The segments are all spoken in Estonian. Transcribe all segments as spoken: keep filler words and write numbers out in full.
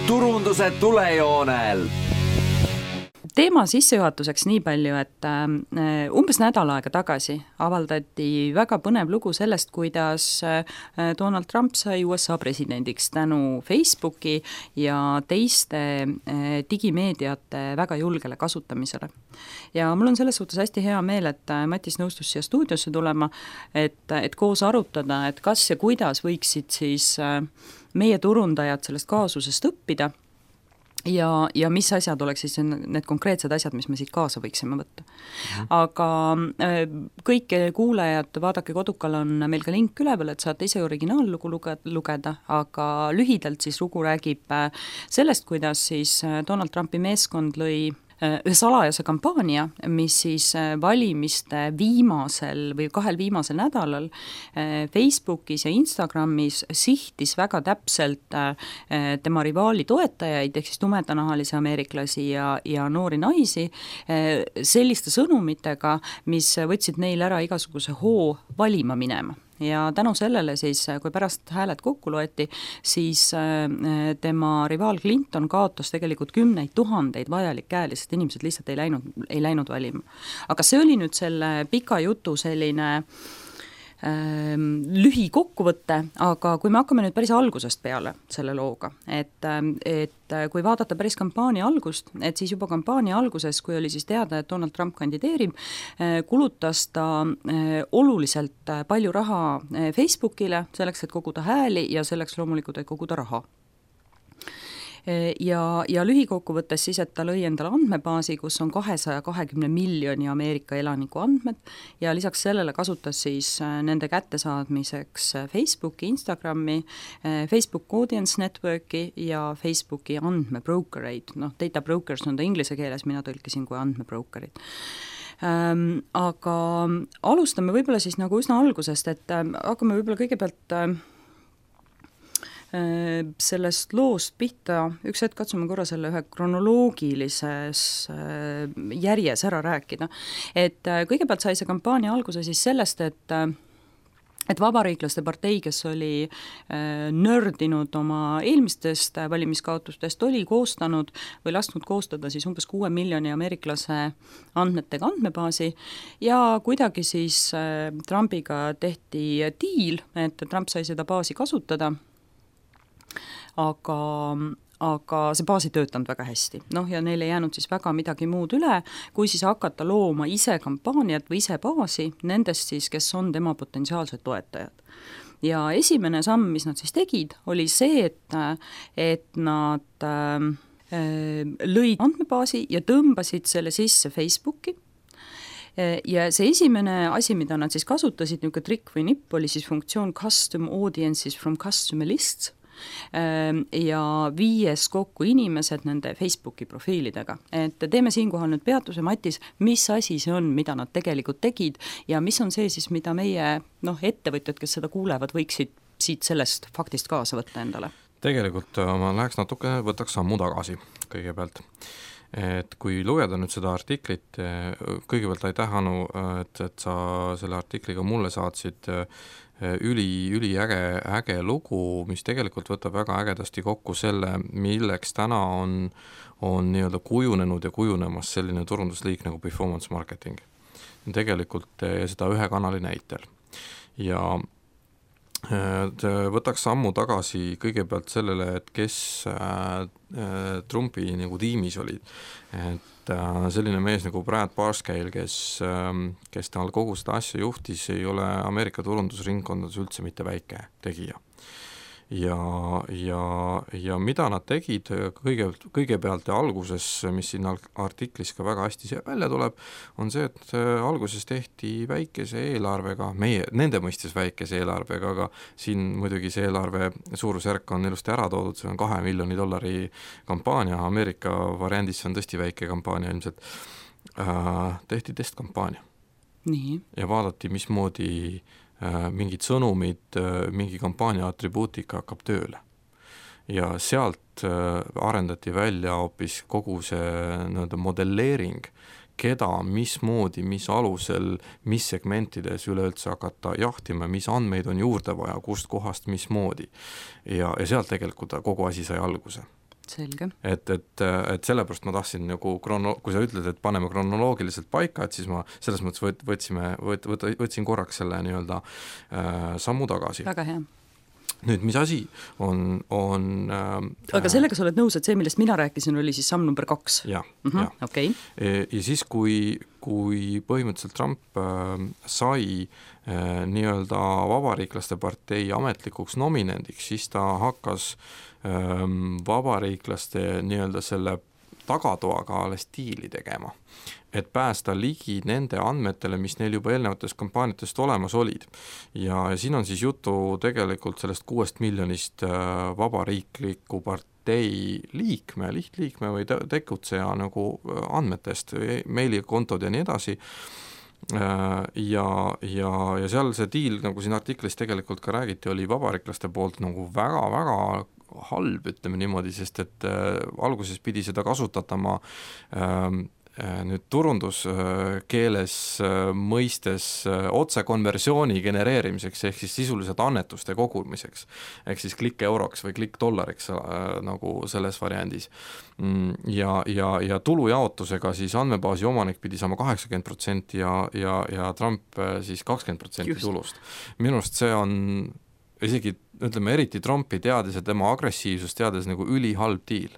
turunduse tulejoonel. Teema sissejuhatuseks nii palju, et umbes nädal aega tagasi avaldati väga põnev lugu sellest, kuidas Donald Trump sai U S A presidendiks tänu Facebooki ja teiste digimeediate väga julgele kasutamisele. Ja mul on selles suhtes hästi hea meel, et Matis nõustus siia stuudiosse tulema, et, et koos arutada, et kas ja kuidas võiksid siis meie turundajad sellest kaasusest õppida, ja, ja mis asjad oleks siis need konkreetsed asjad, mis me siit kaasa võiksime võtta. Mm. Aga kõik kuulajad, vaadake Kodukal on meil ka link üleval, et saate ise originaallugu lugeda, aga lühidalt siis lugu räägib sellest, kuidas siis Donald Trumpi meeskond lõi ühe salajase kampaania, mis siis valimiste viimasel või kahel viimasel nädalal Facebookis ja Instagramis sihtis väga täpselt tema rivaali toetajaid, ehk siis tumedanahalisi ameeriklasi ja, ja noori naisi selliste sõnumitega, mis võtsid neil ära igasuguse hoo valima minema. Ja tänu sellele siis, kui pärast hääled kokku loeti, siis tema rivaal Clinton kaotas tegelikult kümneid tuhandeid vajalikkäeli, sest inimesed lihtsalt ei läinud, ei läinud valima. Aga see oli nüüd selle pika jutu selline lühi kokkuvõtte, aga kui me hakkame nüüd päris algusest peale selle looga, et, et kui vaadata päris kampaania algust, et siis juba kampaania alguses, kui oli siis teada, et Donald Trump kandideerib, kulutas ta oluliselt palju raha Facebookile selleks, et koguda hääli ja selleks loomulikult, et koguda raha. Ja, ja lühikokkuvõttes siis, et ta lõi endale andmebaasi, kus on kahesaja kahekümne miljoni Ameerika elaniku andmed ja lisaks sellele kasutas siis nende kättesaadmiseks Facebooki, Instagrami, Facebook Audience Networki ja Facebooki andmebrokereid. Noh, data brokers on ta inglise keeles, mina tõlkisin kui andmebrokerid. Ähm, aga alustame võib-olla siis nagu üsna algusest, et äh, hakkame võib-olla kõigepealt äh, sellest loost pihta, üks hetk katsume korra selle ühe kronoloogilises järjes ära rääkida. Et kõigepealt sai see kampaania alguse siis sellest, et et vabariiklaste partei, kes oli nördinud oma eelmistest valimiskaotustest, oli koostanud või lasknud koostada siis umbes kuue miljoni ameeriklase andmetega andmebaasi ja kuidagi siis Trumpiga tehti diil, et Trump sai seda baasi kasutada, aga, aga see baas ei töötanud väga hästi. Noh, ja neil ei jäänud siis väga midagi muud üle, kui siis hakata looma ise kampaaniat või ise baasi nendest siis, kes on tema potentsiaalsed toetajad. Ja esimene samm, mis nad siis tegid, oli see, et, et nad äh, lõid andmebaasi ja tõmbasid selle sisse Facebooki. Ja see esimene asi, mida nad siis kasutasid, niisugune trikk või nipp, oli siis funktsioon Custom Audiences from Customer Lists, ja viies kokku inimesed nende Facebooki profiilidega. Et teeme siinkohal nüüd peatuse, Matis, mis asi see on, mida nad tegelikult tegid ja mis on see siis, mida meie noh, ettevõtjad, kes seda kuulevad, võiksid siit sellest faktist kaasa võtta endale? Tegelikult ma läheks natuke, võtaks sammu tagasi kõigepealt. Et kui lugeda nüüd seda artiklit, kõigepealt aitäh, Anu, et, et sa selle artikliga mulle saatsid üli, üli äge, äge lugu, mis tegelikult võtab väga ägedasti kokku selle, milleks täna on, on nii-öelda kujunenud ja kujunemas selline turundusliik nagu performance marketing. Tegelikult seda ühe kanali näitel. Ja võtaks sammu tagasi kõigepealt sellele, et kes Trumpi nagu tiimis olid. Et selline mees nagu Brad Parscale, kes, kes tal kogu seda asja juhtis, ei ole Ameerika turundusringkondades üldse mitte väike tegija. Ja, ja, ja mida nad tegid kõige, kõigepealt ja alguses, mis siin artiklis ka väga hästi välja tuleb, on see, et alguses tehti väikese eelarvega, meie, nende mõistes väikese eelarvega, aga siin muidugi see eelarve suurusjärk on ilusti ära toodud, see on kahe miljoni dollari kampaania, Ameerika variandis on tõesti väike kampaania ilmselt, äh, tehti testkampaania. Nii. Ja vaadati, mismoodi mingid sõnumid, mingi kampaania atribuutika hakkab tööle. Ja sealt arendati välja hoopis kogu see nii-öelda modelleering, keda, mismoodi, mis alusel, mis segmentides üleüldse hakata jahtima, mis andmeid on juurde vaja, kust kohast, mismoodi. Ja, ja sealt tegelikult kogu asi sai alguse. selge. et, et, et sellepärast ma tahtsin nagu krono-, kui sa ütled, et paneme kronoloogiliselt paika, et siis ma selles mõttes võt, võtsime, võt, võt, võtsin korraks selle nii-öelda äh, sammu tagasi. Väga hea. Nüüd, mis asi on, on äh, aga sellega sa oled nõus, et see, millest mina rääkisin, oli siis samm number kaks? Jah, mm-hmm. jah. Okay. Ja siis, kui, kui põhimõtteliselt Trump äh, sai äh, nii-öelda vabariiklaste partei ametlikuks nominendiks, siis ta hakkas äh, vabariiklaste nii-öelda selle tagatoaga alles diili tegema, et päästa ligi nende andmetele, mis neil juba eelnevatest kampaaniatest olemas olid. Ja siin on siis jutu tegelikult sellest kuuest miljonist vabariikliku partei liikme, lihtliikme või tegutseja nagu andmetest, meilikontod ja nii edasi. Ja, ja, ja seal see diil, nagu siin artiklis tegelikult ka räägiti, oli vabariiklaste poolt nagu väga-väga halb, ütleme niimoodi, sest et äh, alguses pidi seda kasutatama äh, nüüd turunduskeeles äh, mõistes äh, otsekonversiooni genereerimiseks, ehk siis sisuliselt annetuste kogumiseks, ehk siis klikk euroks või klikk dollariks äh, nagu selles variandis. Ja, ja, ja tulujaotusega siis andmebaasi omanik pidi saama kaheksakümmend protsenti ja, ja, ja Trump äh, siis kakskümmend protsenti tulust. Minu arust see on isegi, ütleme, eriti Trumpi teades ja tema agressiivsust teades nagu ülihalb diil.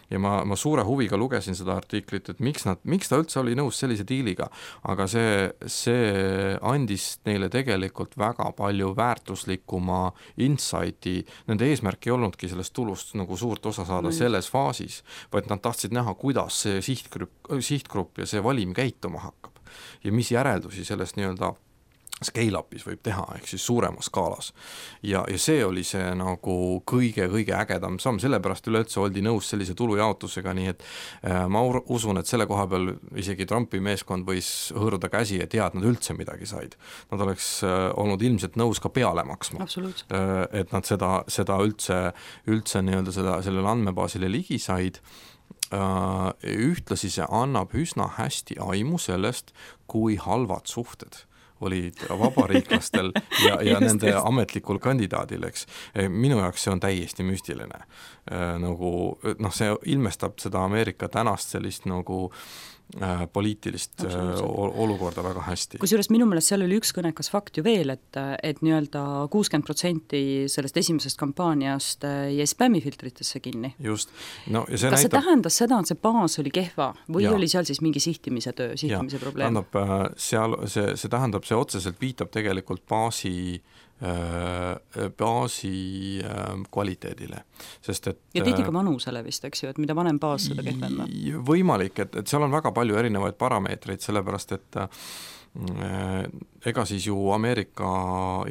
Ja ma, ma suure huviga lugesin seda artiklit, et miks, nad, miks ta üldse oli nõus sellise diiliga, aga see, see andis neile tegelikult väga palju väärtuslikuma insighti, nende eesmärk ei olnudki sellest tulust nagu suurt osa saada mm. selles faasis, vaid nad tahtsid näha, kuidas see sihtgrupp, sihtgrupp ja see valim käituma hakkab ja mis järeldusi sellest nii-öelda scale-up'is võib teha, ehk siis suuremas skaalas. Ja, ja see oli see nagu kõige-kõige ägedam samm, sellepärast üleüldse oldi nõus sellise tulujaotusega, nii et äh, ma usun, et selle koha peal isegi Trumpi meeskond võis hõõruda käsi, et hea, et nad üldse midagi said. Nad oleks äh, olnud ilmselt nõus ka peale maksma. Äh, et nad seda, seda üldse, üldse nii-öelda seda, sellele andmebaasile ligi said. Uh, ühtlasi see annab üsna hästi aimu sellest, kui halvad suhted olid vabariiklastel ja, ja just, nende just. Ametlikul kandidaadil, eks. Minu jaoks see on täiesti müstiline. Nagu, noh, see ilmestab seda Ameerika tänast sellist nagu äh, poliitilist äh, olukorda väga hästi. Kusjuures minu meelest seal oli üks kõnekas fakt ju veel, et, et nii-öelda kuuskümmend protsenti sellest esimesest kampaaniast jäi spämmifiltritesse kinni. Just. No, ja see kas näitab... see tähendas seda, et see baas oli kehva või ja. Oli seal siis mingi sihtimise töö, sihtimise ja. Probleem? Tähendab, seal, see, see tähendab, see otseselt viitab tegelikult baasi baasi kvaliteedile. Sest et, ja tihti ka vanusele vist, eks ju, et mida vanem baas, seda kehvem. Võimalik, et, et seal on väga palju erinevaid parameetreid, sellepärast et ega siis ju Ameerika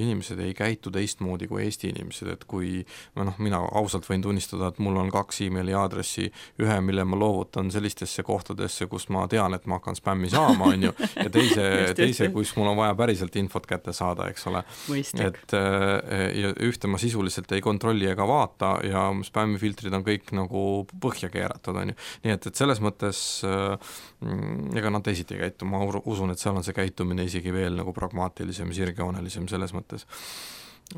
inimesed ei käitu teistmoodi kui Eesti inimesed, et kui noh, mina ausalt võin tunnistada, et mul on kaks emaili aadressi, ühe, mille ma loovutan sellistesse kohtadesse, kus ma tean, et ma hakkan spämmi saama, on ju, ja teise, teise, kus mul on vaja päriselt infot kätte saada, eks ole. Et, ja ühte ma sisuliselt ei kontrolli ega vaata ja spämmifiltrid on kõik nagu põhja keeratud, on ju. Nii et, et selles mõttes ega nad teisiti ei käitu, ma usun, et seal on see käitumine isegi veel nagu pragmaatilisem, sirgjoonelisem selles mõttes.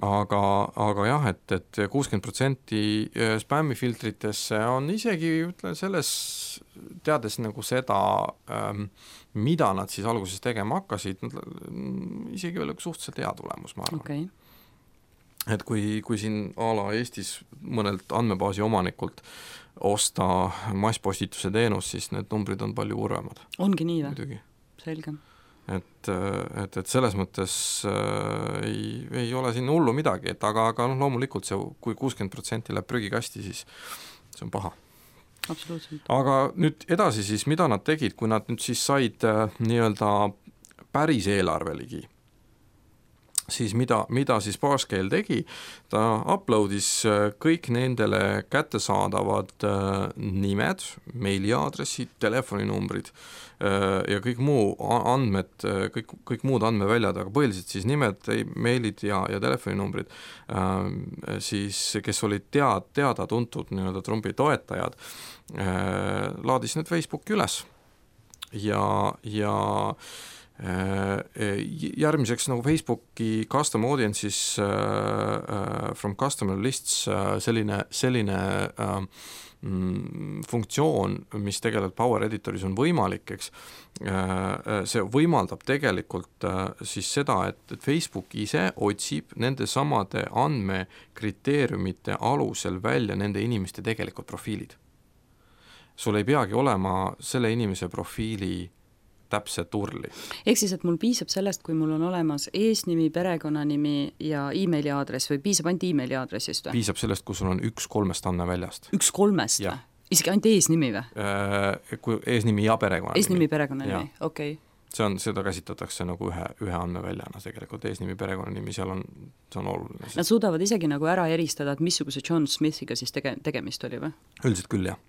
Aga, aga jah, et, et kuuskümmend protsenti spämmifiltritesse on isegi, ütlen, selles teades nagu seda, mida nad siis alguses tegema hakkasid, isegi veel suhteliselt hea tulemus, ma arvan. Okay. Et kui, kui siin a la Eestis mõnelt andmebaasi omanikult osta masspostituse teenus, siis need numbrid on palju kurvemad. Ongi nii või? Muidugi. Selge. Et, et, et selles mõttes äh, ei, ei ole siin hullu midagi, et aga, aga noh, loomulikult see, kui kuuskümmend protsenti läheb prügikasti, siis see on paha. Absoluutselt. Aga nüüd edasi siis, mida nad tegid, kui nad nüüd siis said äh, nii-öelda päris eelarve ligi, siis mida, mida siis Parscale tegi, ta uploadis kõik nendele kättesaadavad nimed, meiliaadressid, telefoninumbrid ja kõik muu andmed, kõik, kõik muud andmeväljad, aga põhiliselt siis nimed, meilid ja, ja telefoninumbrid, siis kes olid tead, teada tuntud nii-öelda Trumpi toetajad, laadis need Facebooki üles ja, ja Järgmiseks nagu Facebooki custom audiences uh, from customer lists uh, selline, selline uh, funktsioon, mis tegelikult Power Editoris on võimalik, eks, see võimaldab tegelikult siis seda, et Facebook ise otsib nende samade andmekriteeriumite alusel välja nende inimeste tegelikult profiilid. Sul ei peagi olema selle inimese profiili täpset urli. Ehk siis, et mul piisab sellest, kui mul on olemas eesnimi, perekonnanimi ja e-maili aadress või piisab ainult e-maili aadressist või? Piisab sellest, kui sul on üks kolmest andmeväljast. Üks kolmest või? Isegi ainult eesnimi või? Kui eesnimi ja perekonnanimi. Eesnimi, perekonnanimi, okei. Okay. See on, seda käsitatakse nagu ühe, ühe andmeväljana tegelikult, eesnimi, perekonnanimi, seal on, see on oluline. Nad suudavad isegi nagu ära eristada, et missuguse John Smithiga siis tege, tegemist oli või? Üldiselt küll, jah.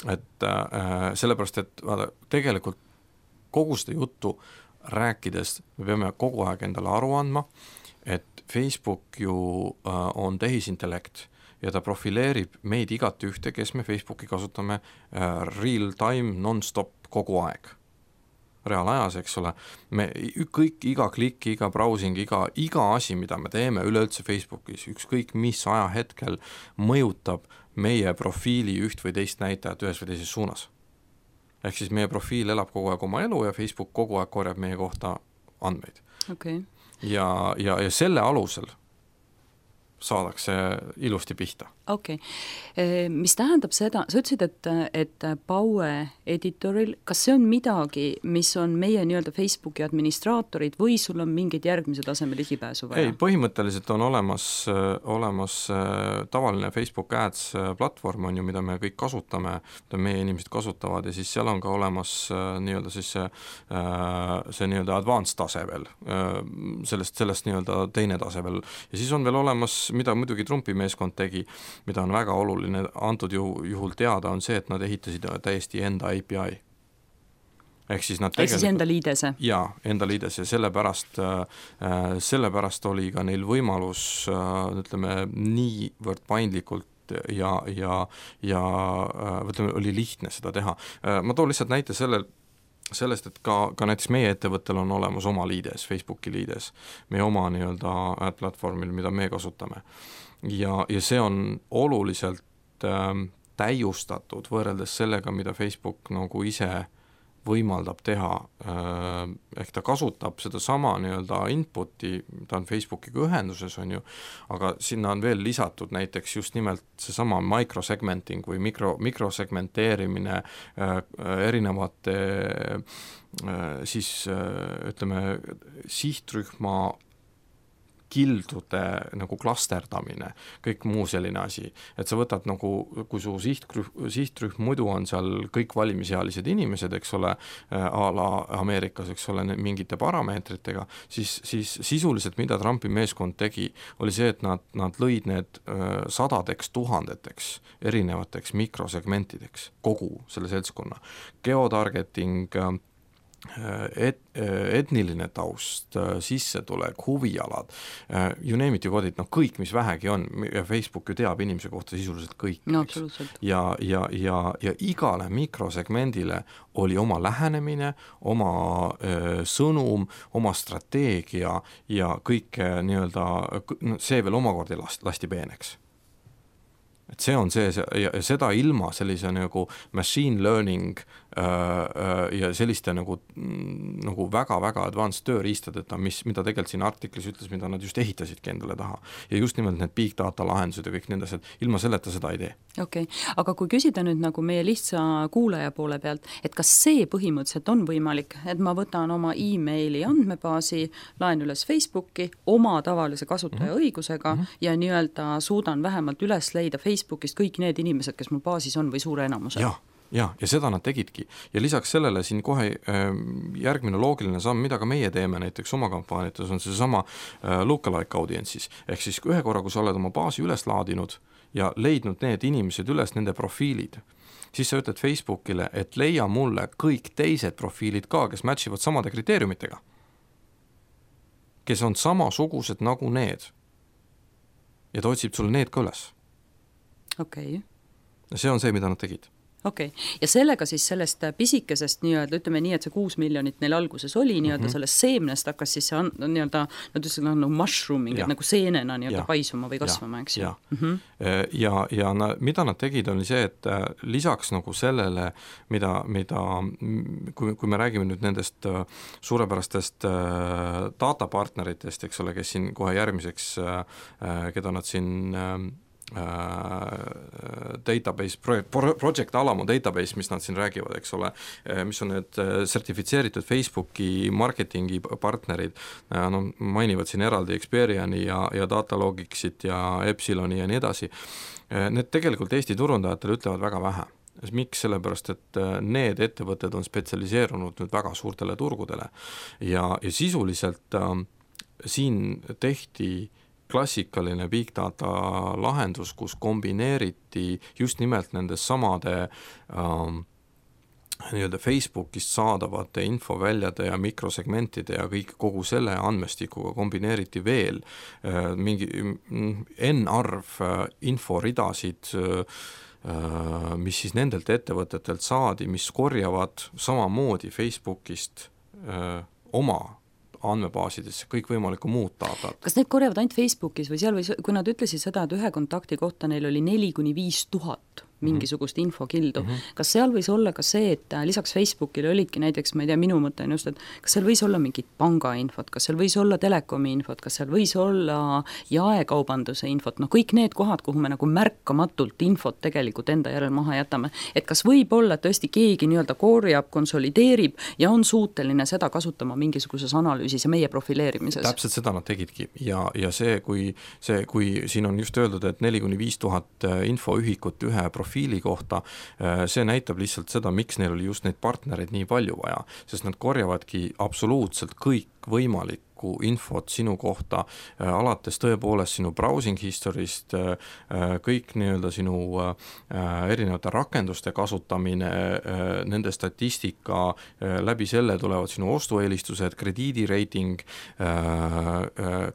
Et äh, sellepärast, et vaada, tegelikult kogu seda juttu rääkides me peame kogu aeg endale aru andma, et Facebook ju äh, on tehisintellekt ja ta profileerib meid igat ühte, kes me Facebooki kasutame äh, real time, non-stop kogu aeg. Reaalajas, eks ole, me kõik, iga klikk, iga browsing, iga, iga asi, mida me teeme üleüldse Facebookis, ükskõik mis ajahetkel mõjutab meie profiili üht või teist näitajat ühes või teises suunas. Ehk siis meie profiil elab kogu aeg oma elu ja Facebook kogu aeg korjab meie kohta andmeid. Okay. Ja, ja, ja selle alusel saadakse ilusti pihta. Okei. Okay. Mis tähendab seda, sa ütlesid, et, et Power Editoril, kas see on midagi, mis on meie nii-öelda Facebooki administraatorid või sul on mingid järgmise taseme ligipääsu vaja? Ei, põhimõtteliselt on olemas, olemas tavaline Facebook Ads platvorm, on ju, mida me kõik kasutame, mida meie inimesed kasutavad ja siis seal on ka olemas nii-öelda siis see, see nii-öelda advanced tase veel, sellest, sellest nii-öelda teine tase veel ja siis on veel olemas, mida muidugi Trumpi meeskond tegi, mida on väga oluline antud juhul teada, on see, et nad ehitasid täiesti enda A P I. Ehk siis nad tegelikult... Ehk siis enda liidese? Jaa, enda liidese ja sellepärast, äh, sellepärast oli ka neil võimalus, äh, ütleme, niivõrd paindlikult ja, ja, ja äh, ütleme, oli lihtne seda teha. Äh, ma toon lihtsalt näite sellel, sellest, et ka, ka näiteks meie ettevõttel on olemas oma liides, Facebooki liides, meie oma nii-öelda ad platvormil, mida me kasutame. Ja, ja see on oluliselt äh, täiustatud võrreldes sellega, mida Facebook nagu ise võimaldab teha, äh, ehk ta kasutab seda sama nii-öelda inputi, ta on Facebookiga ühenduses, on ju, aga sinna on veel lisatud näiteks just nimelt seesama microsegmenting või mikro, mikrosegmenteerimine äh, erinevate äh, siis äh, ütleme sihtrühma kildude nagu klasterdamine, kõik muu selline asi, et sa võtad nagu, kui su sihtrühm, sihtrühm muidu on seal kõik valimisealised inimesed, eks ole, a la Ameerikas, eks ole, mingite parameetritega, siis, siis sisuliselt, mida Trumpi meeskond tegi, oli see, et nad, nad lõid need sadadeks tuhandeteks erinevateks mikrosegmentideks kogu selle seltskonna. Geotargeting, Et, etniline taust, sissetulek, huvialad, you name it, you got it, no kõik, mis vähegi on, ja Facebook ju teab inimese kohta sisuliselt kõik. No, absoluutselt. Ja, ja, ja, ja igale mikrosegmendile oli oma lähenemine, oma öö, sõnum, oma strateegia ja kõik nii-öelda, see veel omakorda lasti peeneks. Et see on see, see ja seda ilma sellise nagu machine learning äh, äh, ja selliste nagu, nagu väga-väga advanced tööriistadeta, mis, mida tegelikult siin artiklis ütles, mida nad just ehitasidki endale taha. Ja just nimelt need big data lahendused ja kõik nendes, et ilma selleta seda ei tee. Okei, okay. Aga kui küsida nüüd nagu meie lihtsa kuulaja poole pealt, et kas see põhimõtteliselt on võimalik, et ma võtan oma e-maili andmebaasi, laen üles Facebooki oma tavalise kasutaja mm-hmm. õigusega mm-hmm. ja nii-öelda suudan vähemalt üles leida Facebookist kõik need inimesed, kes mul baasis on või suure enamuse. Ja, ja, ja seda nad tegidki. Ja lisaks sellele siin kohe äh, järgmine loogiline samm, mida ka meie teeme näiteks oma kampaaniates, on see sama äh, lookalike audiences. Ehk siis ühe korra, kui sa oled oma baasi üles laadinud ja leidnud need inimesed üles, nende profiilid, siis sa ütled Facebookile, et leia mulle kõik teised profiilid ka, kes matchivad samade kriteeriumitega, kes on samasugused nagu need. Ja ta otsib sulle need ka üles. Okei. Okay. See on see, mida nad tegid. okei okay., ja sellega siis sellest pisikesest nii-öelda, ütleme nii, et see kuus miljonit neil alguses oli, nii-öelda mm -hmm. sellest seemnest hakkas siis see nii-öelda, nad ütlesid nagu mushrooming, et nagu seenena nii-öelda ja. paisuma või kasvama, eks ju. Ja, mm -hmm. ja, ja na, mida nad tegid, oli see, et lisaks nagu sellele, mida, mida kui, kui me räägime nüüd nendest suurepärastest datapartneritest, eks ole, kes siin kohe järgmiseks, keda nad siin database, Project Alamo database, mis nad siin räägivad, eks ole, mis on need sertifitseeritud Facebooki marketingi partnerid, no mainivad siin eraldi Experiani ja, ja Datalogicsit ja Epsiloni ja nii edasi. Need tegelikult Eesti turundajatele ütlevad väga vähe. Miks? Sellepärast, et need ettevõtted on spetsialiseerunud nüüd väga suurtele turgudele ja, ja sisuliselt äh, siin tehti klassikaline big data lahendus, kus kombineeriti just nimelt nendes samade ähm, nii-öelda Facebookist saadavate infoväljade ja mikrosegmentide ja kõik kogu selle andmestikuga kombineeriti veel äh, mingi n-arv äh, inforidasid, äh, mis siis nendelt ettevõtetelt saadi, mis korjavad samamoodi Facebookist äh, oma andmebaasidesse kõik võimalikku muud datat. Kas need korjavad ainult Facebookis või seal või, kui nad ütlesid seda, et ühe kontakti kohta neil oli neli kuni viis tuhat mingisugust infokildu, mm -hmm. kas seal võis olla ka see, et lisaks Facebookile olidki näiteks, ma ei tea, minu mõte on just, et kas seal võis olla mingit pangainfot, kas seal võis olla telekomi infot, kas seal võis olla jaekaubanduse infot, noh kõik need kohad, kuhu me nagu märkamatult infot tegelikult enda järel maha jätame, et kas võib olla, et tõesti keegi nii-öelda korjab, konsolideerib ja on suuteline seda kasutama mingisuguses analüüsis ja meie profileerimises? Täpselt seda nad tegidki ja, ja see, kui see, kui siin on just öeldud, et neli kuni viis tuhat infoühikut ühe profiili kohta, see näitab lihtsalt seda, miks neil oli just neid partnereid nii palju vaja, sest nad korjavadki absoluutselt kõik võimalik infot sinu kohta, alates tõepoolest sinu browsing historist, kõik nii-öelda sinu erinevate rakenduste kasutamine, nende statistika, läbi selle tulevad sinu ostueelistused, krediidireiting,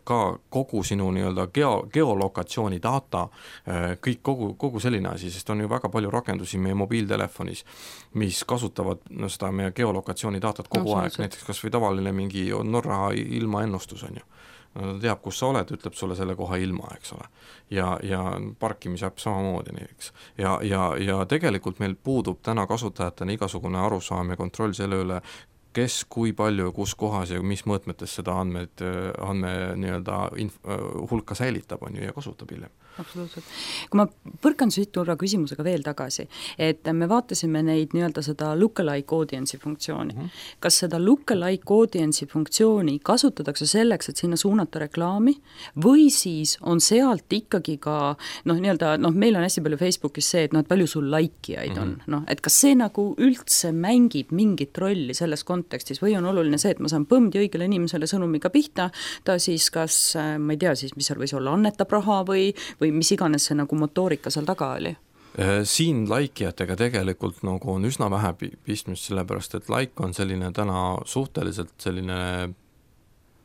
ka kogu sinu nii-öelda geo, geolokatsiooni data, kõik kogu, kogu selline asi, sest on ju väga palju rakendusi meie mobiiltelefonis, mis kasutavad no, seda meie geolokatsiooni datat kogu no, aeg, näiteks kas või tavaline mingi Norra ilma ennustus on ju. No, ta teab, kus sa oled, ütleb sulle selle koha ilma, eks ole. Ja, ja parkimisäpp samamoodi näiteks. Ja, ja, ja tegelikult meil puudub täna kasutajatena igasugune arusaam ja kontroll selle üle, kes, kui palju, kus kohas ja mis mõõtmetes seda andmed, andme nii-öelda inf- hulka säilitab on ju ja kasutab hiljem. Absoluutselt. Kui ma põrkan siit turra küsimusega veel tagasi, et me vaatasime neid nii-öelda seda lookalike audience'i funktsiooni. Mm -hmm. Kas seda lookalike audience'i funktsiooni kasutatakse selleks, et sinna suunata reklaami või siis on sealt ikkagi ka noh, nii-öelda, noh, meil on hästi palju Facebookis see, et noh, et palju sul laikijaid mm -hmm. on, noh, et kas see nagu üldse mängib mingit rolli selles kontekstis või on oluline see, et ma saan põmdi õigele inimesele sõnumiga pihta, ta siis kas, ma ei tea siis, mis seal võis olla, annetab raha või või mis iganes see nagu motoorika seal taga oli? Siin laikijatega tegelikult nagu on üsna vähe pistmist, sellepärast et like on selline täna suhteliselt selline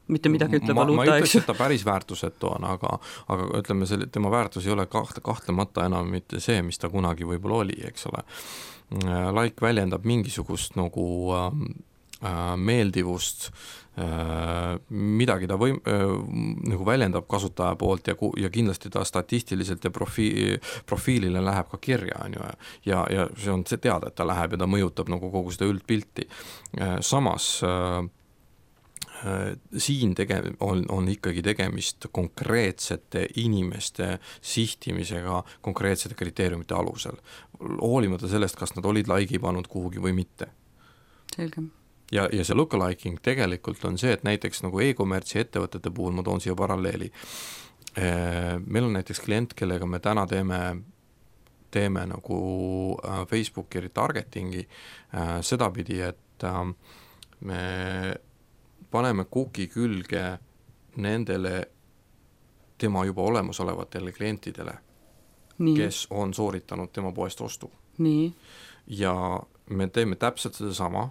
mitte midagi ütle valuuta, eks? Ma ütleks, et ta päris väärtusetu on, aga, aga ütleme, selle, tema väärtus ei ole kaht, kahtlemata enam mitte see, mis ta kunagi võib-olla oli, eks ole. Like väljendab mingisugust nagu äh, meeldivust, midagi ta või, nagu väljendab kasutaja poolt ja, ja kindlasti ta statistiliselt ja profiili, profiilile läheb ka kirja on ju, ja, ja see on see teada, et ta läheb ja ta mõjutab nagu kogu seda üldpilti. Samas äh, siin tege- on, on ikkagi tegemist konkreetsete inimeste sihtimisega konkreetsete kriteeriumite alusel, hoolimata sellest, kas nad olid laigi pannud kuhugi või mitte. Selge. Ja, ja see lookaliking tegelikult on see, et näiteks nagu e-kommertsi ettevõtete puhul ma toon siia paralleeli. Meil on näiteks klient, kellega me täna teeme, teeme nagu Facebooki retargetingi sedapidi, et me paneme cookie külge nendele tema juba olemasolevatele klientidele, nii. Kes on sooritanud tema poest ostu. Nii. Ja me teeme täpselt seda sama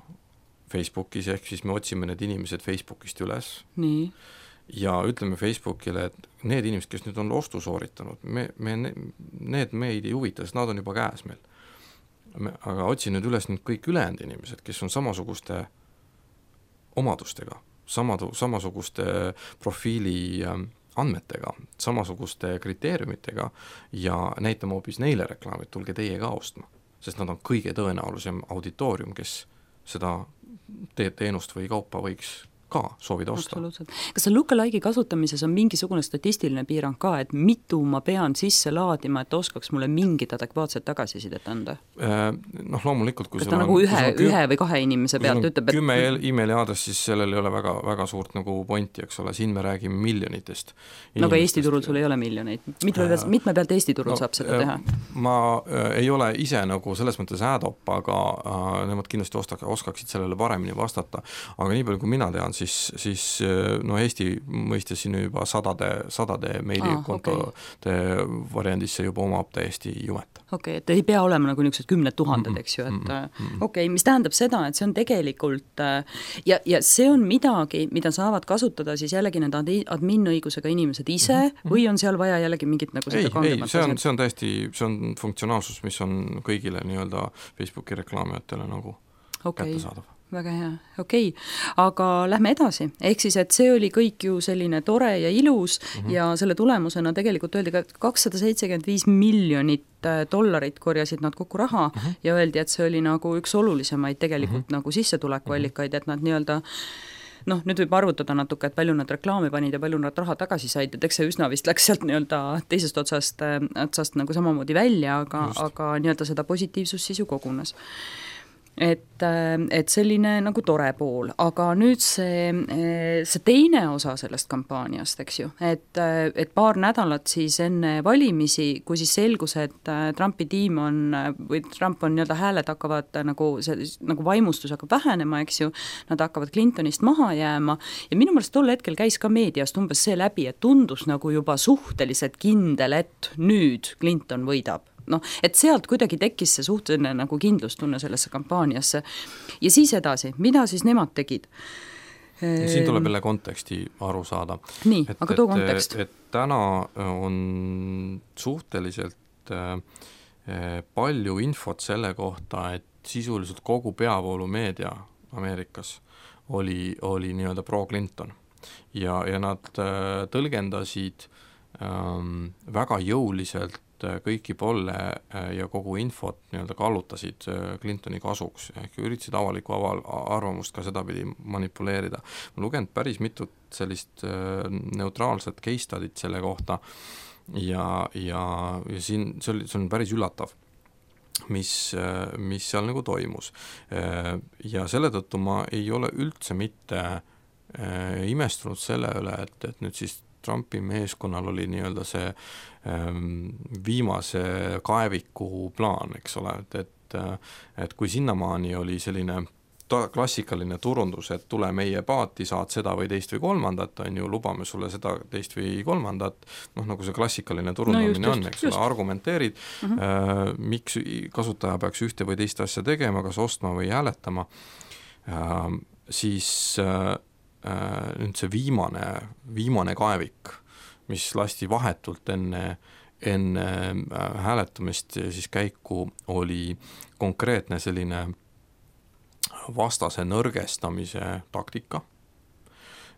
Facebookis, ehk siis me otsime need inimesed Facebookist üles. Nii. Ja ütleme Facebookile, et need inimesed, kes nüüd on ostu sooritanud, me, me, need meid ei huvita, sest nad on juba käes meil. aga otsi nüüd üles nüüd kõik ülejäänud inimesed, kes on samasuguste omadustega, samadu, samasuguste profiili andmetega, samasuguste kriteeriumitega ja näitame hoopis neile reklaamid, tulge teie ka ostma, sest nad on kõige tõenäolisem auditoorium, kes seda te- teenust või kaupa võiks ka soovida osta. Absoluutselt. Kas see lookalike'i kasutamises on mingisugune statistiline piirang ka, et mitu ma pean sisse laadima, et oskaks mulle mingit adekvaatset tagasisidet anda? Noh, loomulikult, kui kas ta nagu ühe, küm... ühe või kahe inimese pealt ütleb, et kümme emaili aadress, siis sellel ei ole väga, väga suurt nagu pointi, eks ole, siin me räägime miljonitest inimestest. No aga Eesti turul sul ei ole miljoneid. Mitme pealt, mitme pealt Eesti turul no, saab seda teha? Ma ei ole ise nagu selles mõttes äädop, aga äh, nemad kindlasti ostak, oskaksid sellele paremini vastata. Aga nii palju, kui mina tean, siis, siis no Eesti mõistes siin juba sadade, sadade meilikontode ah, okay. variandisse juba omab täiesti jumet. Okei, okay, et ei pea olema nagu niisugused kümned tuhanded, eks ju, et okei, okay, mis tähendab seda, et see on tegelikult ja, ja see on midagi, mida saavad kasutada siis jällegi need admin-õigusega inimesed ise mm-hmm. või on seal vaja jällegi mingit nagu ei, ei, see on, see on täiesti, see on funktsionaalsus, mis on kõigile nii-öelda Facebooki reklaamijatele nagu okay. kätte saadav. Väga hea, okei okay., aga lähme edasi, ehk siis, et see oli kõik ju selline tore ja ilus mm-hmm. ja selle tulemusena tegelikult öeldi ka, et kakssada seitsekümmend viis miljonit dollarit korjasid nad kokku raha mm-hmm. ja öeldi, et see oli nagu üks olulisemaid tegelikult mm-hmm. nagu sissetulekuallikaid, et nad nii-öelda noh, nüüd võib arvutada natuke, et palju nad reklaami panid ja palju nad raha tagasi said, et eks see üsna vist läks sealt nii-öelda teisest otsast, otsast nagu samamoodi välja, aga, aga nii-öelda seda positiivsus siis ju kogunes. Et, et selline nagu tore pool, aga nüüd see, see teine osa sellest kampaaniast, eks ju, et, et paar nädalat siis enne valimisi, kui siis selgus, et Trumpi tiim on, või Trump on nii-öelda hääled hakkavad nagu, see, nagu vaimustus hakkab vähenema, eks ju, nad hakkavad Clintonist maha jääma ja minu meelest tol hetkel käis ka meediast umbes see läbi, et tundus nagu juba suhteliselt kindel, et nüüd Clinton võidab. noh, et sealt kuidagi tekkis see suhteline nagu kindlustunne sellesse kampaaniasse ja siis edasi, mida siis nemad tegid? Siin tuleb jälle konteksti aru saada. Nii, et, aga too kontekst. Et, et täna on suhteliselt äh, palju infot selle kohta, et sisuliselt kogu peavoolumeedia Ameerikas oli, oli nii-öelda pro-Clinton ja, ja nad äh, tõlgendasid ähm, väga jõuliselt kõiki polle ja kogu infot nii-öelda kallutasid Clintoni kasuks, ehk üritasid avalikku aval, arvamust ka sedapidi manipuleerida. Ma lugenud päris mitut sellist neutraalset case study't selle kohta ja, ja, ja siin see, oli, see on päris üllatav, mis, mis seal nagu toimus. Ja selle tõttu ma ei ole üldse mitte imestunud selle üle, et, et nüüd siis Trumpi meeskonnal oli nii-öelda see ähm, viimase kaeviku plaan, eks ole, et, et, et kui sinnamaani oli selline ta, klassikaline turundus, et tule meie paati, saad seda või teist või kolmandat, on ju, lubame sulle seda teist või kolmandat, noh, nagu see klassikaline turundamine no on, eks ole, argumenteerid, uh-huh. äh, miks kasutaja peaks ühte või teist asja tegema, kas ostma või hääletama, äh, siis äh, nüüd see viimane, viimane kaevik, mis lasti vahetult enne, enne hääletamist siis käiku, oli konkreetne selline vastase nõrgestamise taktika.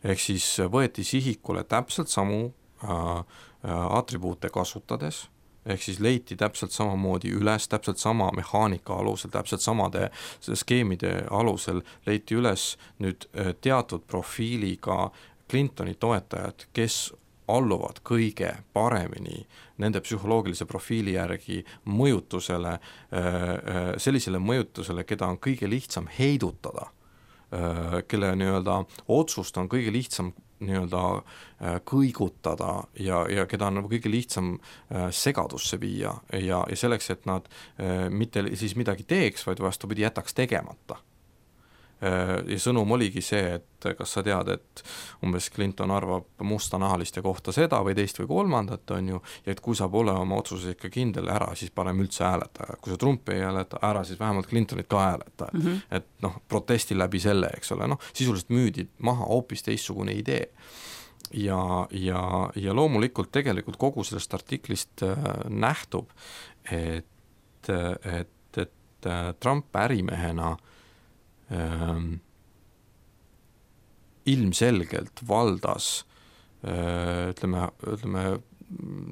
Ehk siis võeti sihikule täpselt samu äh, atribuute kasutades, ehk siis leiti täpselt samamoodi üles, täpselt sama mehaanika alusel, täpselt samade skeemide alusel leiti üles nüüd teatud profiiliga Clintoni toetajad, kes alluvad kõige paremini nende psühholoogilise profiili järgi mõjutusele, sellisele mõjutusele, keda on kõige lihtsam heidutada, kelle nii-öelda otsust on kõige lihtsam nii-öelda kõigutada ja, ja keda on nagu kõige lihtsam segadusse viia ja, ja selleks, et nad mitte siis midagi teeks, vaid vastupidi jätaks tegemata. Ja sõnum oligi see, et kas sa tead, et umbes Clinton arvab mustanahaliste kohta seda või teist või kolmandat, on ju, ja et kui sa pole oma otsuses ikka kindel ära, siis parem üldse hääleta. Kui sa Trumpi ei hääleta ära, siis vähemalt Clintonit ka hääleta. Et, mm-hmm. et noh, protesti läbi selle, eks ole, noh, sisuliselt müüdi maha hoopis teistsugune idee. Ja, ja, ja loomulikult tegelikult kogu sellest artiklist nähtub, et, et et Trump ärimehena ähm, ilmselgelt valdas äh, ütleme, ütleme,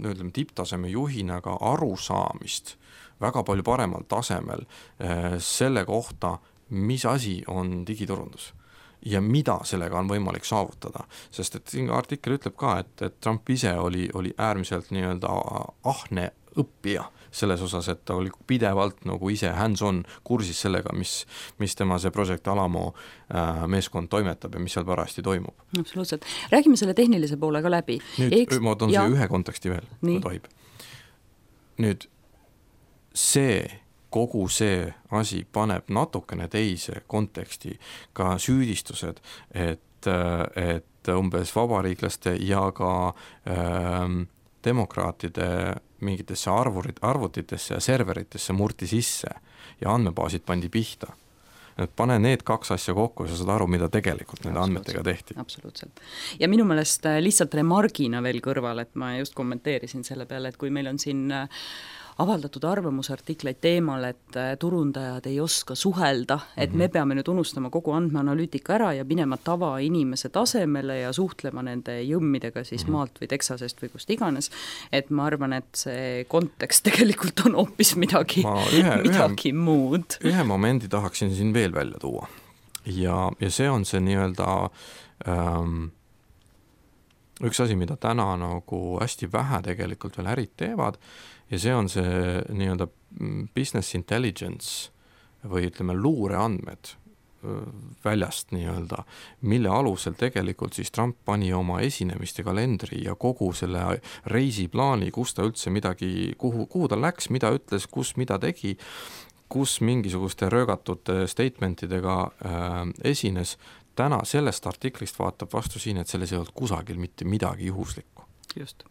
ütleme tipptaseme juhina ka arusaamist väga palju paremal tasemel äh, selle kohta, mis asi on digiturundus ja mida sellega on võimalik saavutada. Sest et siin artikkel ütleb ka, et, et Trump ise oli, oli äärmiselt nii-öelda ahne õppija selles osas, et ta oli pidevalt nagu ise hands-on kursis sellega, mis, mis tema see Project Alamo äh, meeskond toimetab ja mis seal parajasti toimub. Absoluutselt. Räägime selle tehnilise poole ka läbi. Nüüd Eks... ma toon siia ühe konteksti veel, kui tohib. Nüüd see kogu see asi paneb natukene teise konteksti ka süüdistused, et, et umbes vabariiklaste ja ka ähm, demokraatide mingitesse arvurit, arvutitesse ja serveritesse murti sisse ja andmebaasid pandi pihta. Et pane need kaks asja kokku ja sa saad aru, mida tegelikult nende andmetega tehti. Absoluutselt. Ja minu meelest lihtsalt remargina veel kõrval, et ma just kommenteerisin selle peale, et kui meil on siin avaldatud arvamusartikleid teemal, et turundajad ei oska suhelda, et mm-hmm. me peame nüüd unustama kogu andmeanalüütika ära ja minema tavainimese tasemele ja suhtlema nende jõmmidega siis mm-hmm. maalt või Texasest või kust iganes, et ma arvan, et see kontekst tegelikult on hoopis midagi, ühe, midagi ühe, muud. Ühe momendi tahaksin siin veel välja tuua ja, ja see on see nii-öelda ähm, üks asi, mida täna nagu hästi vähe tegelikult veel ärid teevad ja see on see nii-öelda business intelligence või ütleme luureandmed väljast nii-öelda, mille alusel tegelikult siis Trump pani oma esinemiste kalendri ja kogu selle reisiplaani, kus ta üldse midagi, kuhu, kuhu ta läks, mida ütles, kus mida tegi, kus mingisuguste röögatud statementidega äh, esines. Täna sellest artiklist vaatab vastu siin, et selles ei olnud kusagil mitte midagi juhuslikku. Just.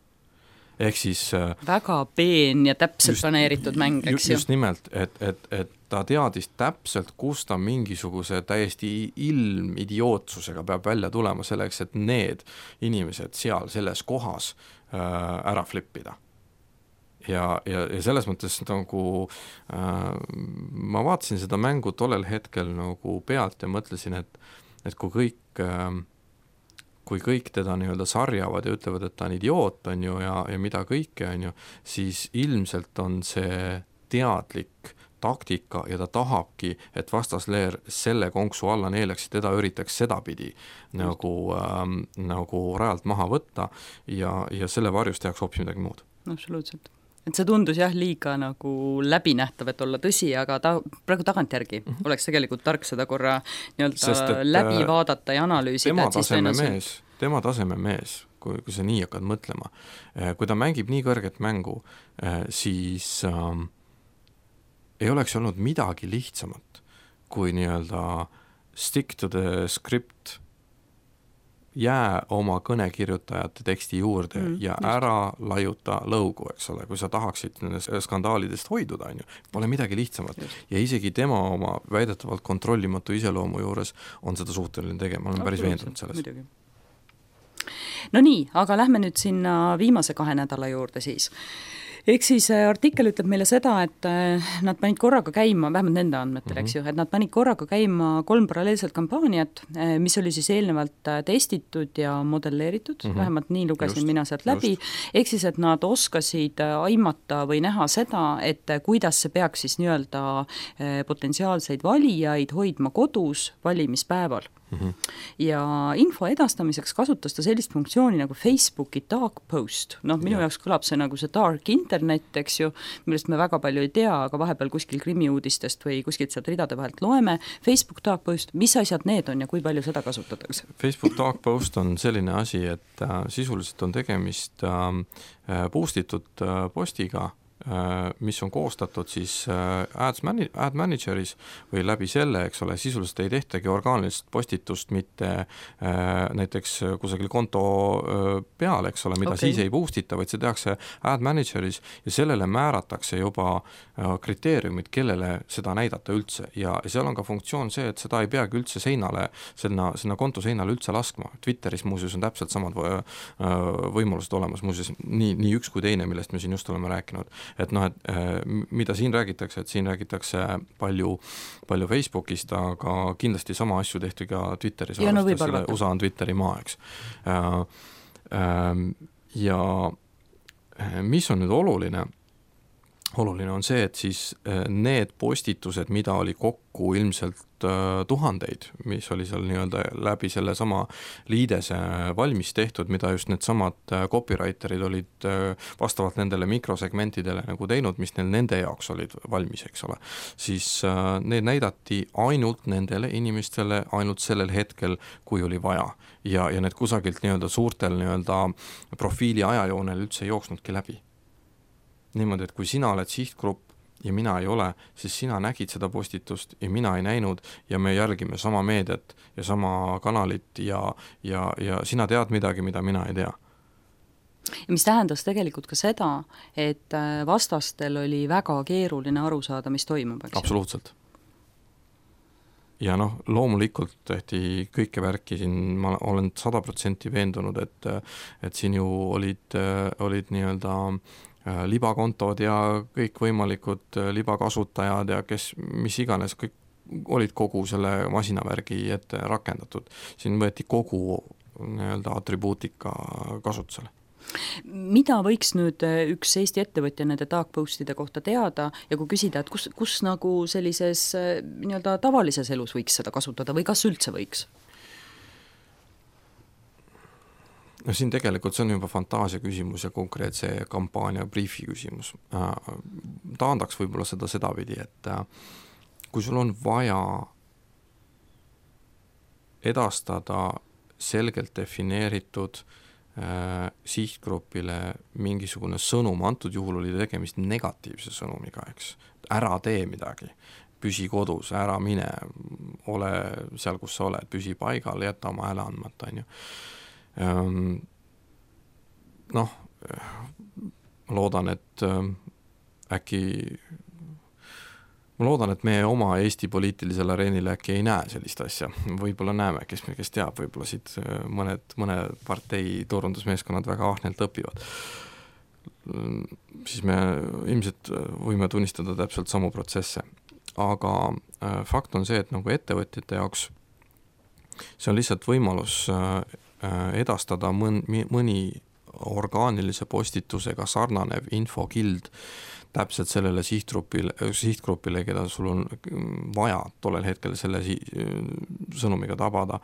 Ehk siis väga peen ja täpselt just, planeeritud mäng, eks ju. Just nimelt, et, et, et ta teadis täpselt, kus ta mingisuguse täiesti ilmidiootsusega peab välja tulema selleks, et need inimesed seal selles kohas äh, ära flippida. Ja, ja, ja selles mõttes nagu äh, ma vaatasin seda mängu tollel hetkel nagu pealt ja mõtlesin, et, et kui kõik äh, kui kõik teda nii-öelda sarjavad ja ütlevad, et ta on idioot on ju, ja, ja mida kõike on ju, siis ilmselt on see teadlik taktika ja ta tahabki, et vastasleer selle konksu alla neeleks ja teda üritaks sedapidi nagu, ähm, nagu rajalt maha võtta ja, ja selle varjus tehaks hoopis midagi muud. Absoluutselt. Et see tundus jah liiga nagu läbinähtav, et olla tõsi, aga ta, praegu tagantjärgi mm-hmm. oleks tegelikult tark seda korra nii-öelda läbi vaadata ja analüüsida. Tema taseme mees, tema taseme mees, kui, kui sa nii hakkad mõtlema, kui ta mängib nii kõrget mängu, siis ähm, ei oleks olnud midagi lihtsamat, kui nii-öelda stick to the script, jää oma kõnekirjutajate teksti juurde mm, ja just. Ära lajuta lõugu, eks ole, kui sa tahaksid skandaalidest hoiduda, on ju, pole midagi lihtsamat. Just. Ja isegi tema oma väidetavalt kontrollimatu iseloomu juures on seda suhteline tegema, olen päris veendunud selles. Midagi. No nii, aga lähme nüüd sinna viimase kahe nädala juurde siis. Ehk siis artikkel ütleb meile seda, et nad panid korraga käima, vähemalt nende andmetel, mm-hmm. eks ju, et nad panid korraga käima kolm paralleelset kampaaniat, mis oli siis eelnevalt testitud ja modelleeritud, mm-hmm. vähemalt nii lugesin just, mina sealt läbi, ehk siis, et nad oskasid aimata või näha seda, et kuidas see peaks siis nii-öelda potentsiaalseid valijaid hoidma kodus valimispäeval. Mm-hmm. Ja info edastamiseks kasutas ta sellist funktsiooni nagu Facebooki dark post, noh minu ja. jaoks kõlab see nagu see dark internet, eks ju, millest me väga palju ei tea, aga vahepeal kuskil krimiuudistest või kuskilt sealt ridade vahelt loeme. Facebook dark post, mis asjad need on ja kui palju seda kasutatakse? Facebook dark post on selline asi, et äh, sisuliselt on tegemist äh, boostitud äh, postiga, mis on koostatud siis ads, mani- ad manageris või läbi selle, eks ole, sisuliselt ei tehtagi orgaanilist postitust mitte äh, näiteks kusagil konto äh, peal, eks ole, mida okay. siis ei boostita, vaid see tehakse ad manageris ja sellele määratakse juba äh, kriteeriumid, kellele seda näidata üldse ja seal on ka funktsioon see, et seda ei peagi üldse seinale, sinna, sinna konto seinale üldse laskma. Twitteris muuseas on täpselt samad võimalused olemas, muuseas nii, nii üks kui teine, millest me siin just oleme rääkinud. et noh, et mida siin räägitakse, et siin räägitakse palju, palju Facebookist, aga kindlasti sama asju tehti ka Twitteris, ja, no U S A on Twitteri maa, eks. Ja mis on nüüd oluline, oluline on see, et siis need postitused, mida oli kokku ilmselt tuhandeid, mis oli seal nii-öelda läbi selle sama liidese valmis tehtud, mida just need samad copywriterid olid vastavalt nendele mikrosegmentidele nagu teinud, mis neil nende jaoks olid valmis, eks ole, siis need näidati ainult nendele inimestele ainult sellel hetkel, kui oli vaja. Ja, ja need kusagilt nii-öelda suurtel nii-öelda profiili ajajoonel üldse ei jooksnudki läbi. Niimoodi, et kui sina oled sihtgrupp ja mina ei ole, siis sina nägid seda postitust ja mina ei näinud ja me jälgime sama meediat ja sama kanalit ja, ja, ja sina tead midagi, mida mina ei tea. Ja mis tähendas tegelikult ka seda, et vastastel oli väga keeruline aru saada, mis toimub, eks? Absoluutselt. Ja noh, loomulikult tehti kõike värki siin, ma olen sada protsenti veendunud, et, et siin ju olid, olid nii-öelda libakontod ja kõik võimalikud libakasutajad ja kes, mis iganes, kõik olid kogu selle masinavärgi ette rakendatud. Siin võeti kogu nii-öelda atribuutika kasutusele. Mida võiks nüüd üks Eesti ettevõtja nende darkpostide kohta teada ja kui küsida, et kus, kus nagu sellises nii-öelda tavalises elus võiks seda kasutada või kas üldse võiks? No siin tegelikult see on juba fantaasia küsimus ja konkreetse kampaania briefi küsimus. Taandaks võib-olla seda sedapidi, et kui sul on vaja edastada selgelt defineeritud äh, sihtgrupile mingisugune sõnum, antud juhul oli tegemist negatiivse sõnumiga, eks. Ära tee midagi, püsi kodus, ära mine, ole seal, kus sa oled, püsi paigal, jäta oma hääle andmata, on ju. Noh, ma loodan, et äkki ma loodan, et me oma Eesti poliitilisel areenil äkki ei näe sellist asja, võib-olla näeme, kes, kes teab, võib-olla siit mõned, mõne partei turundusmeeskonnad väga ahnelt õpivad, siis me ilmselt võime tunnistada täpselt samu protsesse, aga fakt on see, et nagu ettevõtjate jaoks see on lihtsalt võimalus edastada mõni, mõni orgaanilise postitusega sarnanev infokild täpselt sellele sihtgrupile, sihtgrupile, keda sul on vaja tollel hetkel selle sõnumiga tabada,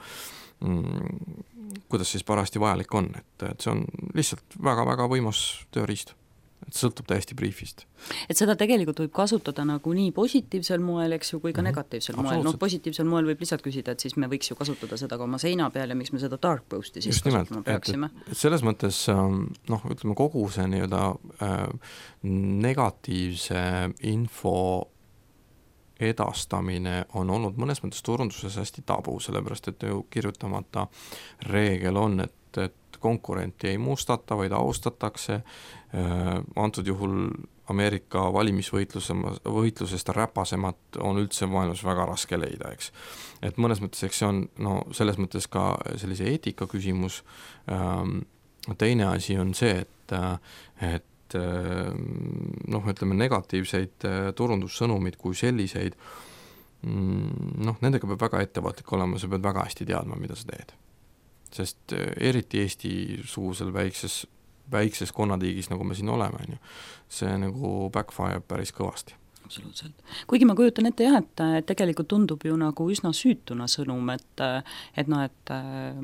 kuidas siis parasti vajalik on, et, et see on lihtsalt väga-väga võimas tööriist. Et sõltub täiesti briefist. Et seda tegelikult võib kasutada nagu nii positiivsel moel, eks ju, kui ka mm-hmm. negatiivsel moel. No, positiivsel moel võib lihtsalt küsida, et siis me võiks ju kasutada seda ka oma seina peal ja miks me seda dark posti siis just kasutama peaksime. Et, et selles mõttes, noh, ütleme kogu see nii-öelda äh, negatiivse info edastamine on olnud mõnes mõttes turunduses hästi tabu, sellepärast et ju kirjutamata reegel on, et, et konkurenti ei mustata, vaid austatakse. Antud juhul Ameerika valimisvõitlusest räpasemat on üldse maailmas väga raske leida, eks. Et mõnes mõttes, eks see on no, selles mõttes ka sellise eetika küsimus. Teine asi on see, et, et noh, ütleme negatiivseid turundussõnumid kui selliseid, noh, nendega peab väga ettevaatlik olema, sa pead väga hästi teadma, mida sa teed. Sest eriti Eesti suusel väikses, väikses konnatiigis, nagu me siin oleme, see nagu backfire päris kõvasti. Absoluutselt. Kuigi ma kujutan ette jah, et tegelikult tundub ju nagu üsna süütuna sõnum, et, et noh, et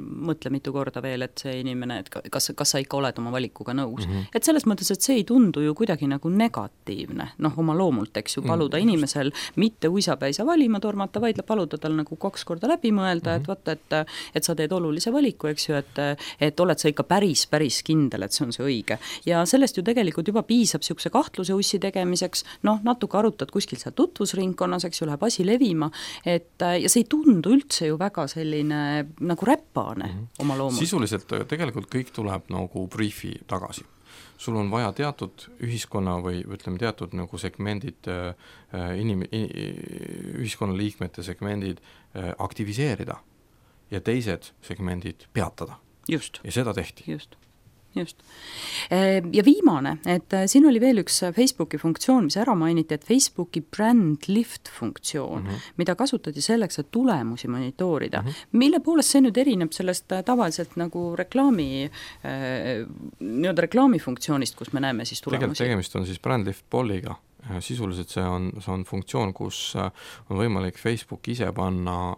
mõtle mitu korda veel, et see inimene, et kas, kas sa ikka oled oma valikuga nõus. Mm-hmm. Et selles mõttes, et see ei tundu ju kuidagi nagu negatiivne, noh oma loomult, eks ju, paluda mm-hmm. inimesel mitte uisapäisa valima tormata, vaid paluda tal nagu kaks korda läbi mõelda, mm-hmm. et vaata, et, et sa teed olulise valiku, eks ju, et, et oled sa ikka päris, päris kindel, et see on see õige. Ja sellest ju tegelikult juba piisab siukse kahtluse ussi tegemiseks, noh, natuke arutad kuskil seal tutvusringkonnas, eks ju, läheb asi levima, et ja see ei tundu üldse ju väga selline nagu räppane mm-hmm. oma loomult. Sisuliselt tegelikult kõik tuleb nagu briefi tagasi. Sul on vaja teatud ühiskonna või ütleme teatud nagu segmendid, inim, ühiskonna liikmete segmendid aktiviseerida ja teised segmendid peatada. Just. Ja seda tehti. Just. just. Ja viimane, et siin oli veel üks Facebooki funktsioon, mis ära mainiti, et Facebooki brand lift funktsioon, mm -hmm. mida kasutati selleks, et tulemusi monitoorida. Mm -hmm. Mille poolest see nüüd erineb sellest tavaliselt nagu reklaami, nii-öelda reklaami funktsioonist, kus me näeme siis tulemusi? Tegelikult tegemist on siis brand lift polliga. Sisuliselt see on, see on funktsioon, kus on võimalik Facebook ise panna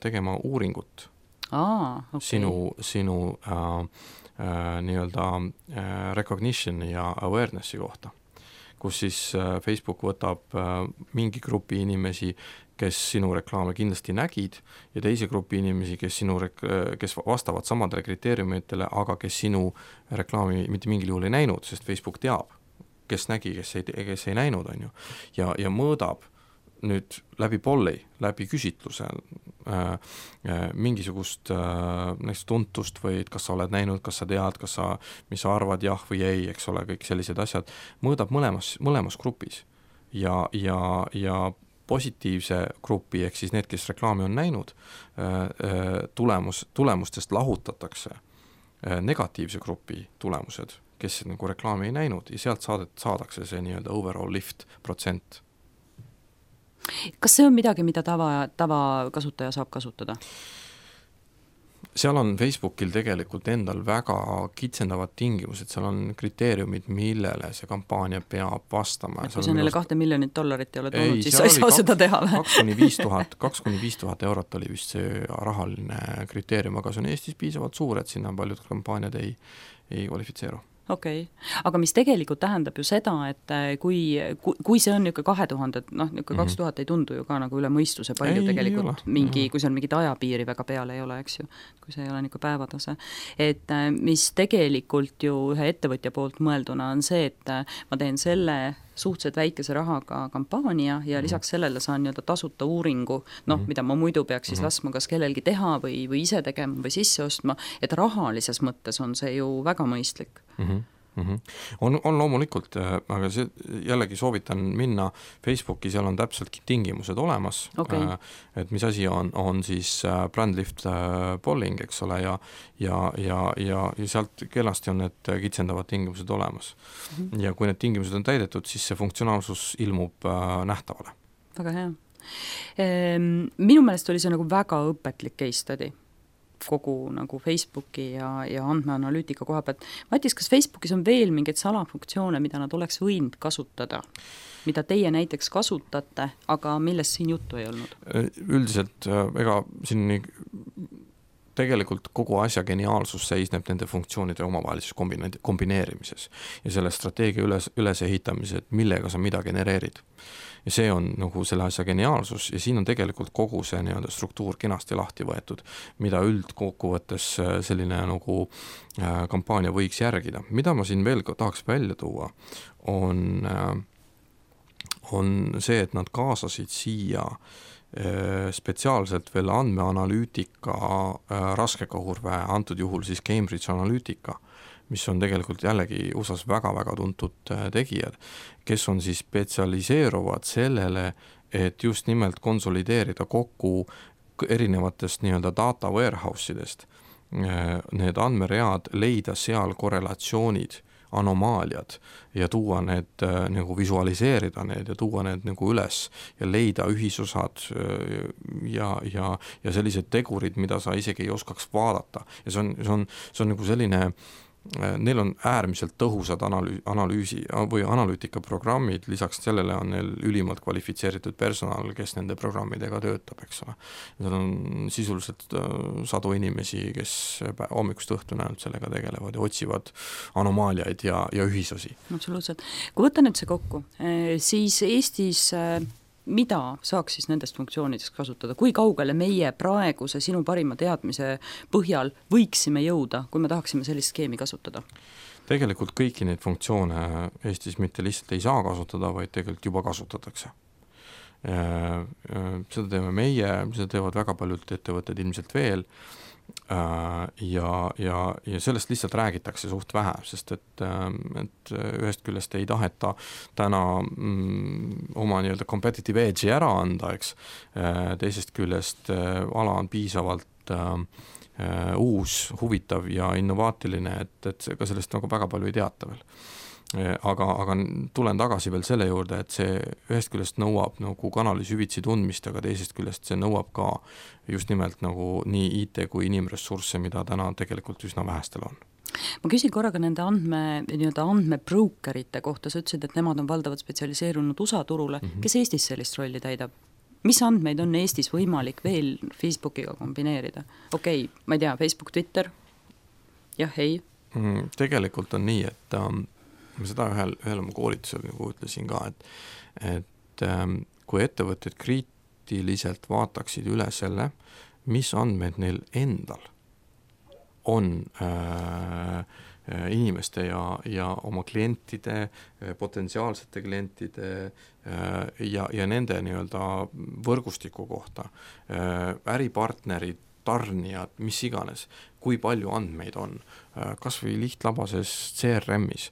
tegema uuringut Aa, okay. sinu, sinu äh, äh, nii-öelda äh, recognition ja awarenessi kohta, kus siis äh, Facebook võtab äh, mingi grupi inimesi, kes sinu reklaame kindlasti nägid ja teise grupi inimesi, kes, sinu rek- kes vastavad samadele kriteeriumitele, aga kes sinu reklaami mitte mingil juhul ei näinud, sest Facebook teab, kes nägi, kes ei, kes ei näinud, on ju, ja, ja mõõdab nüüd läbi polli, läbi küsitluse äh, äh, mingisugust äh, näiteks tuntust või et kas sa oled näinud, kas sa tead, kas sa, mis sa arvad, jah või ei, eks ole, kõik sellised asjad, mõõdab mõlemas, mõlemas grupis ja, ja, ja positiivse grupi, ehk siis need, kes reklaami on näinud, tulemus, tulemustest lahutatakse negatiivse grupi tulemused, kes nagu reklaami ei näinud ja sealt saadet, saadakse see nii-öelda overall lift protsent. Kas see on midagi, mida tava, tava kasutaja saab kasutada? Seal on Facebookil tegelikult endal väga kitsendavad tingimused, seal on kriteeriumid, millele see kampaania peab vastama. Et kui sa neile kahte miljonit dollarit ei ole toonud, siis sa ei saa seda teha. kaks kuni viis tuhat, kaks kuni viis tuhat eurot oli vist see rahaline kriteerium, aga see on Eestis piisavalt suur, et sinna paljud kampaaniad ei, ei kvalifitseeru. Okei, okay. Aga mis tegelikult tähendab ju seda, et kui, kui see on niisugune kahe tuhande, noh, niisugune kaks tuhat ei tundu ju ka nagu üle mõistuse palju ei, tegelikult ei mingi, kui seal mingit ajapiiri väga peale ei ole, eks ju, kui see ei ole niisugune päevatase. Et mis tegelikult ju ühe ettevõtja poolt mõelduna on see, et ma teen selle suhteliselt väikese rahaga kampaania ja lisaks sellele saan nii-öelda tasuta uuringu, noh, mida ma muidu peaks siis laskma kas kellelgi teha või, või ise tegema või sisse ostma, et rahalises mõttes on see ju väga mõistlik. Mm-hmm. Mm-hmm. On, on loomulikult, aga see, jällegi soovitan minna Facebooki, seal on täpselt tingimused olemas, okay. et mis asi on, on siis brand lift polling, eks ole, ja, ja, ja, ja, ja sealt kenasti on need kitsendavad tingimused olemas. Mm-hmm. Ja kui need tingimused on täidetud, siis see funktsionaalsus ilmub nähtavale. Väga hea. Minu meelest oli see nagu väga õpetlik case study kogu nagu Facebooki ja, ja andmeanalüütika koha pealt. Matis, kas Facebookis on veel mingeid salafunktsioone, mida nad oleks võinud kasutada, mida teie näiteks kasutate, aga millest siin juttu ei olnud? Üldiselt ega siin tegelikult kogu asja geniaalsus seisneb nende funktsioonide omavahelises kombineerimises ja selle strateegia üles, üles ehitamises, et millega sa mida genereerid. Ja see on nagu selle asja geniaalsus ja siin on tegelikult kogu see nii-öelda struktuur kenasti lahti võetud, mida üldkokkuvõttes selline nagu kampaania võiks järgida. Mida ma siin veel tahaks välja tuua, on, on see, et nad kaasasid siia spetsiaalselt veel andmeanalüütika raskekahurve, antud juhul siis Cambridge Analytica, mis on tegelikult jällegi U S A-s väga-väga tuntud tegijad, kes on siis spetsialiseeruvad sellele, et just nimelt konsolideerida kokku erinevatest nii-öelda data warehouse idest need andmeread, leida seal korrelatsioonid, anomaaliad ja tuua need, nagu visualiseerida need ja tuua need nagu üles ja leida ühisosad ja, ja, ja sellised tegurid, mida sa isegi ei oskaks vaadata. Ja see on, see on, see on nagu selline, neil on äärmiselt tõhusad analüüsi, analüüsi või analüütikaprogrammid, lisaks sellele on neil ülimalt kvalifitseeritud personal, kes nende programmidega töötab, eks ole. Seal on sisuliselt sadu inimesi, kes hommikust õhtuna ainult sellega tegelevad ja otsivad anomaaliaid ja, ja ühisosi. Absoluutselt. Kui võtta nüüd see kokku, siis Eestis mida saaks siis nendest funktsioonidest kasutada? Kui kaugele meie praeguse sinu parima teadmise põhjal võiksime jõuda, kui me tahaksime sellist skeemi kasutada? Tegelikult kõiki neid funktsioone Eestis mitte lihtsalt ei saa kasutada, vaid tegelikult juba kasutatakse. Seda teeme meie, seda teevad väga paljud ettevõtted ilmselt veel ja, ja, ja sellest lihtsalt räägitakse suht vähe, sest et, et ühest küljest ei taheta täna mm, oma nii-öelda competitive edge'i ära anda, eks. Teisest küljest ala on piisavalt uus, huvitav ja innovaatiline, et, et ka sellest nagu väga palju ei teata veel. Aga, aga tulen tagasi veel selle juurde, et see ühest küljest nõuab nagu kanali süvitsi tundmist, aga teisest küljest see nõuab ka just nimelt nagu nii I T kui inimressursse, mida täna tegelikult üsna vähestel on. Ma küsin korraga nende andme, nii-öelda andmebrokerite kohta, sa ütlesid, et nemad on valdavalt spetsialiseerunud U S A turule, mm -hmm. kes Eestis sellist rolli täidab? Mis andmeid on Eestis võimalik veel Facebookiga kombineerida? Okei, okay, ma ei tea, Facebook, Twitter, jah, ei? Mm, tegelikult on nii, et um, ma seda ühel, ühel oma koolitusel nagu ütlesin ka, et, et ähm, kui ettevõtted kriitiliselt vaataksid üle selle, mis andmed neil endal on äh, inimeste ja, ja oma klientide, potentsiaalsete klientide äh, ja, ja nende nii-öelda võrgustiku kohta, äh, äripartnerid, tarnijad, mis iganes, kui palju andmeid on, äh, kas või lihtlabases C R M-is,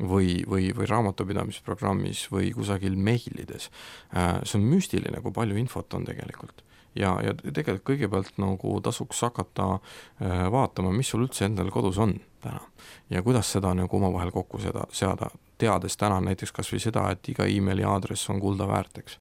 või, või, või raamatupidamisprogrammis või kusagil meilides. See on müstiline, kui palju infot on tegelikult. Ja, ja tegelikult kõigepealt nagu tasuks hakata vaatama, mis sul üldse endal kodus on täna ja kuidas seda nagu omavahel kokku seda, seada, teades täna näiteks kas või seda, et iga emaili aadress on kulda väärt, eks.